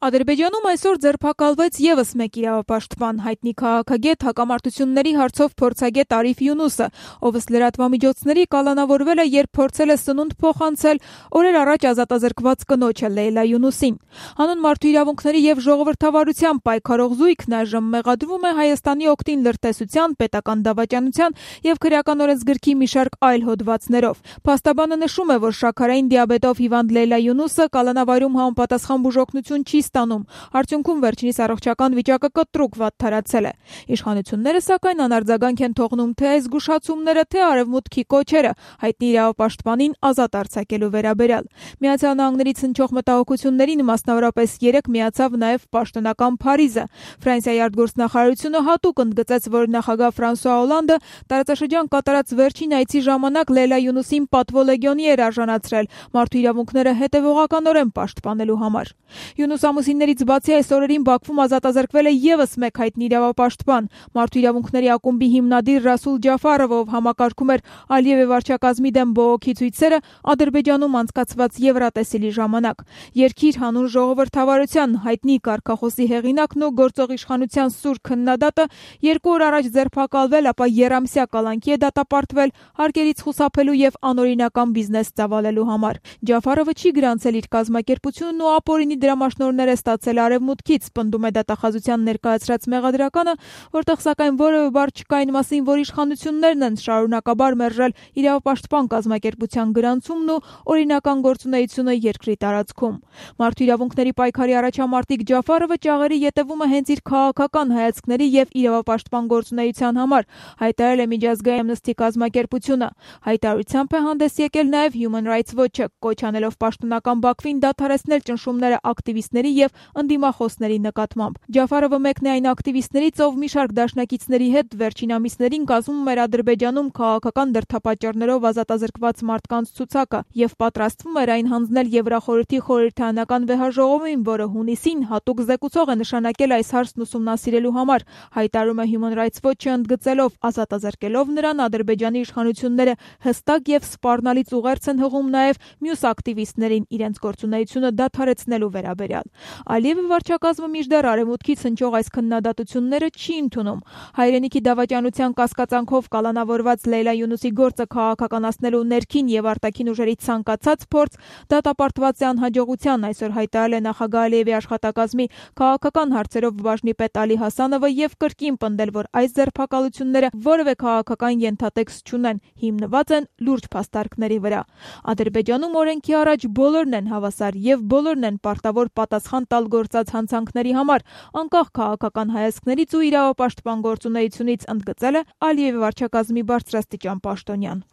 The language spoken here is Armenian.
Ադրբեջանում այսօր ձերբակալվեց ևս մեկ իրավապաշտպան, հայտնի քաղաքագետ, հակամարտությունների հարցով փորձագետ Արիֆ Յունուսը, ով ըստ լրատվամիջոցների կալանավորվել է, երբ փորձել է սնունդ փոխանցել օրեր առաջ ազատազրկված կնոջը Լեյլա Յունուսին։ Հանուն մարդու իրավունքների եւ ժողովրդավարության պայքարող զույգն այժմ մեղադրվում է Հայաստանի օգտին լրտեսության, պետական դավաճանության եւ քրեական օրենսգրքի մի շարք այլ հոդվածներով։ Փաստաբանը նշում է, որ շաքարային դիաբետով հիվանդ Լեյլա Յունուսը կալանավարում համապատասխան բուժօգնություն չի ստանում, արդյունքում վերջինիս առողջական վիճակը կտրուկ վատթարացել է։ Իշխանությունները սակայն անարձագանք են թողնում թե այս զգուշացումները, թե արևմուտքի կոչերը հայտնի իրավապաշտպանին ազատ արձակելու վերաբերյալ։ Միացյալ Նահանգներից հնչող մտահոգություններին մասնավորապես 3 միացավ նաև պաշտոնական Փարիզը։ Ֆրանսիայի արտգործնախարարությունը հատուկ ընդգծեց, որ նախագահ Ֆրանսուଆ Օլանդը տարածաշրջան կատարած վերջին այցի ժամանակ Լեյլա Յունուսին պատվո լեգիոնի էր արժանացրել մարդու իրավունքները հետևողականորեն պաշտպանելու համար։ Յունուս ամուսիններից բացի այս օրերին Բաքվում ազատազրկվել է ևս մեկ հայտնի իրավապաշտպան, մարդու իրավունքների ակումբի հիմնադիր Ռասուլ Ջաֆարովը, ով համակարգում էր Ալիևի վարչակազմի դեմ բողոքի ցույցերը Ադրբեջանում անցկացված Եվրատեսիլի ժամանակ։ Երկիր հանուն ժողովրդավարության հայտնի կարգախոսի հեղինակն ու գործող իշխանության սուր քննադատը 2 օր առաջ ձերբակալվել, ապա երամսյա կալանքի է դատապարտվել հարկերից խուսափելու եւ անօրինական բիզնես ծավալելու համար։ Ջաֆարովը չի գրանցել իր կազմակերպությունն ու ապօրինի դրամաշնորհներ է ստացել արևմուտքից, պնդում է դատախազության ներկայացրած մեղադրականը, որտեղ սակայն որևէ բառ չկա այն մասին, որ իշխանություններն են շարունակաբար մերժել իրավապաշտպան կազմակերպության գրանցումն ու օրինական գործունեությունը երկրի տարածքում։ Մարդու իրավունքների պայքարի առաջամարտիկ Ջաֆարովը ճաղերի ետևում է հենց իր քաղաքական հայացքների եւ իրավապաշտպան գործունեության համար, հայտարարել է միջազգային Amnesty կազմակերպությունը։ Հայտարարությամբ է հանդես եկել նաեւ Human Rights Watch-ը, կոչ անելով պաշտոնական Բաքվին դադարեցնել ճնշումները ակտիվիստների եւ ընդդիմախոսների նկատմամբ։ Ջաֆարովը մեկն է այն ակտիվիստներից, ով մի շարք դաշնակիցների հետ վերջին ամիսներին կազմում էր Ադրբեջանում քաղաքական դրդապատճառներով ազատազրկված մարդկանց ցուցակը եւ պատրաստվում էր այն հանձնել Եվրախորհրդի խորհրդարանական վեհաժողովին, որը հունիսին հատուկ զեկուցող է նշանակել այս հարցն ուսումնասիրելու համար, հայտարարում է Human Rights Watch-ը ընդգծելով, ազատազրկելով նրան Ադրբեջանի իշխանությունները հստակ եւ սպառնալից ուղերձ են հղում նաեւ մյուս ակտիվիստներին իրենց գործունեությունը դադարեցնելու վերաբերյալ։ Ալիևի վարչակազմը մինչդեռ արևմուտքից հնչող այս քննադատությունները չի ընդունում։ Հայրենիքի դավաճանության կասկածանքով կալանավորված Լեյլա Յունուսի գործը քաղաքականացնելու ներքին եւ արտաքին ուժերի ցանկացած փորձ դատապարտված է անհաջողության, այսօր հայտարարել է նախագահ Ալիևի աշխատակազմի քաղաքական հարցերով բաժնի պետ Ալի Հասանովը եւ կրկին պնդել, որ այս ձերբակալությունները որևէ քաղաքական ենթատեքստ չունեն, հիմնված են լուրջ փաստարկների վրա։ Ադրբեջանում օրենքի առաջ բոլորն են հավասար եւ բոլորն են պարտավոր պատասխան տալ գործած հանցանքների համար, անկախ քաղաքական հայացքներից ու իրավապաշտպան գործունեությունից, ընդգծել է Ալիևի վարչակազմի բարձրաստիճան պաշտոնյան։